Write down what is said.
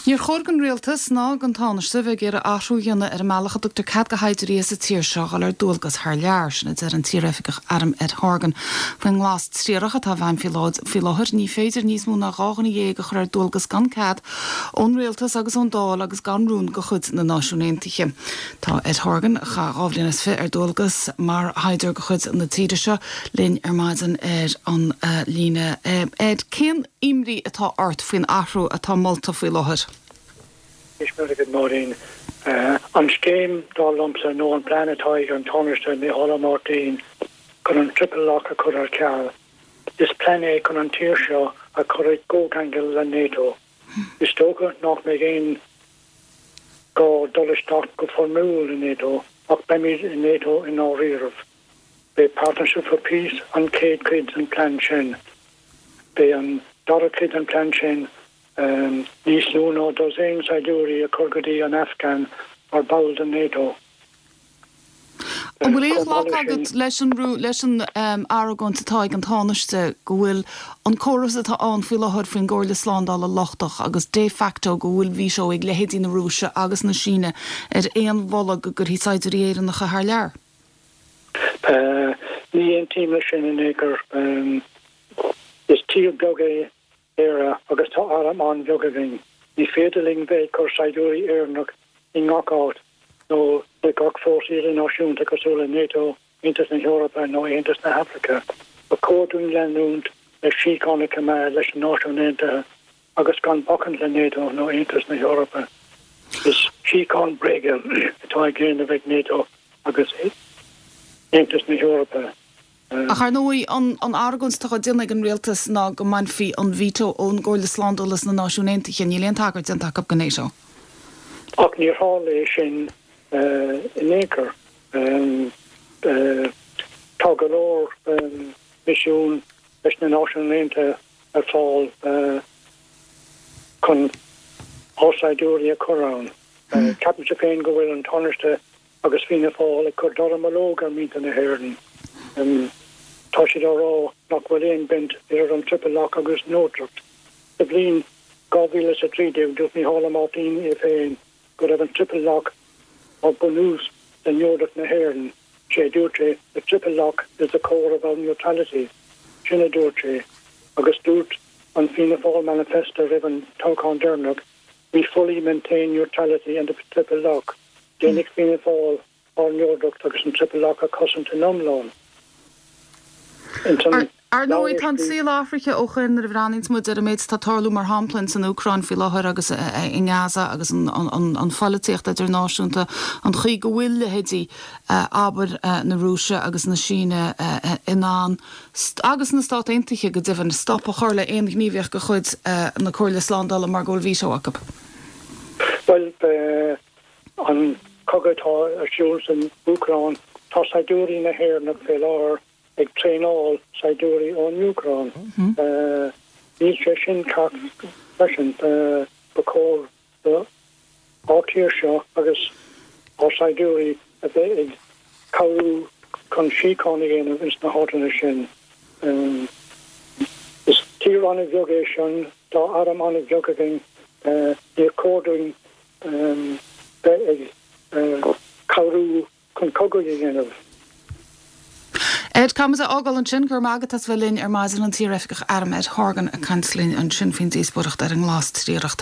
Níor chóir don Rialtas ná don Tánaiste bheith ag iarraidh athrú a dhéanamh ar an mbealach a dtugtar cead do shaighdiúirí as an tír seo dhul ar dualgas thar lear, sin a deir an t-iaroifigeach airm Ed Horgan. Faoin nglas triarach atá i bhfeidhm faoi láthair, ní féidir níos mó ná 12 dhuine a chur ar dualgas gan cead ón Rialtas agus ón Dáil agus gan rún de chuid na Náisiún Aontaithe. Tá Ed Horgan, a chaith 22 bhliain ar dualgas mar shaighdiúir de chuid na tíre seo, linn ar maidin ar an líne. Ed, cén. imní atá ort faoin athrú atá molta faoi láthair? Éist mé agat, Máirín. An scéim, dar liomsa, nó an plean atá ag an Tánaiste Micheál Ó Máirtín chun an Triple Lock a chur ar ceal, is plean é chun an tír seo a chur i gcomhcheangal le NATO. Is dócha nach mbeidh aon gá dul isteach go foirmiúil i NATO ach beimid i NATO i ndáiríribh. B'é Partnership for Peace an chéad chuid den plean sin. B'é an dara cuid den plean sin níos lú ná dosaen saighdiúirí a chur go dtí an Afghan mar ball den NATO. An bhfuil aon ghlacadh agat leis an leis an argóint atá ag an Tánaiste go bhfuil an córas atá ann faoi láthair faoin gComhairle Slándála lochtach agus de facto go bhfuil veto ag leithéidí na Rúise agus na Síne ar aon mholadh go gcuirfí saighdiúirí Éireannacha thar lear? Ní aontaím leis sin in aon chor. Is tír beag é Éire agus tá arm an-bheag againn. Ní féidir linn bheith ag cur saighdiúirí Éireannach i ngach áit nó le gach fórsa idirnáisiúnta cosúil le NATO, Aontas na hEorpa nó Aontas na hAfraice. Ba chóir dúinn leanúint le síocháin a choimeád leis na Náisiúin Aontaithe agus gan bacaint le NATO nó Aontas na hEorpa. Is síocháin bréige atá á déanamh ag NATO agus Aontas na hEorpa. Ach ar ndóigh, an argóint atá á déanamh ag an rialtas ná go mbainfí an veto ón gComhairle Slándála sna Náisiúin Aontaithe. Níl aon tagairt déanta acu do NATO. Ach níor tharla é sin in aon chor. Tá go leor misiún leis na Náisiúin Aontaithe ar fáil chun ár saighdiúirí a chur ann. Ceapaimse féin go bhfuil an Tánaiste agus Fianna Fáil ag cur dallamullóg ar mhuintir na hÉireann. Tá siad á rá nach bhfuil aon baint idir an Triple Lock agus neodracht. Sa bhliain 2013 dúirt Micheál Ó Máirtín é féin go raibh an Triple Lock mar bunús le neodracht na hÉireann. Sé a dúirt sé, The triple lock is the core of our neutrality. Sin a dúirt sé. Agus dúirt an Fianna Fáil Manifesto roimh an toghchán deireanach, We fully maintain neutrality and the triple lock. Déanfaidh Fianna Fáil ár neodracht agus an triple lock a chosaint in iomlán. Ins an Ar ndóigh, tá an saol athraithe ó shoin nuair a bhreathnaíonns muid ar an méid atá ag tarlú mar shampla ins an Úcráin faoi láthair agus i nGaza agus an pholaitíocht idirnáisiúnta, an chaoi go bhfuil leithéidí, abair, na Rúise agus na Síne in ann, agus na Stát Aontaithe go deimhin, stop a chur le aon ghníomhaíocht de chuid na Comhairle Slándála mar go bhfuil veto acu. Bhuel, an cogadh atá ar siúl san Úcráin, tá saighdiúirí na hÉireannach fé láthair ag traenáil saighdiúirí ón Úcráin. Níl sé sin ceart freisin. Ba chóir do ár tír seo agus ár saighdiúirí a bheith ag cabhrú chun síocháin a dhéanamh ins na háiteanna sin. Is tír an-bheag é sin, tá arm an-bheag againn, níor chóir dúinn bheith ag cabhrú chun cogaidh a dhéanamh. Ed, caithfidh muid a fhágáil ansin. Go raibh maith agat as bheith linn ar maidin, an t-iaroifigeach airm Ed Horgan ag caint linn ansin faoin díospóireacht ar an nglas triarach.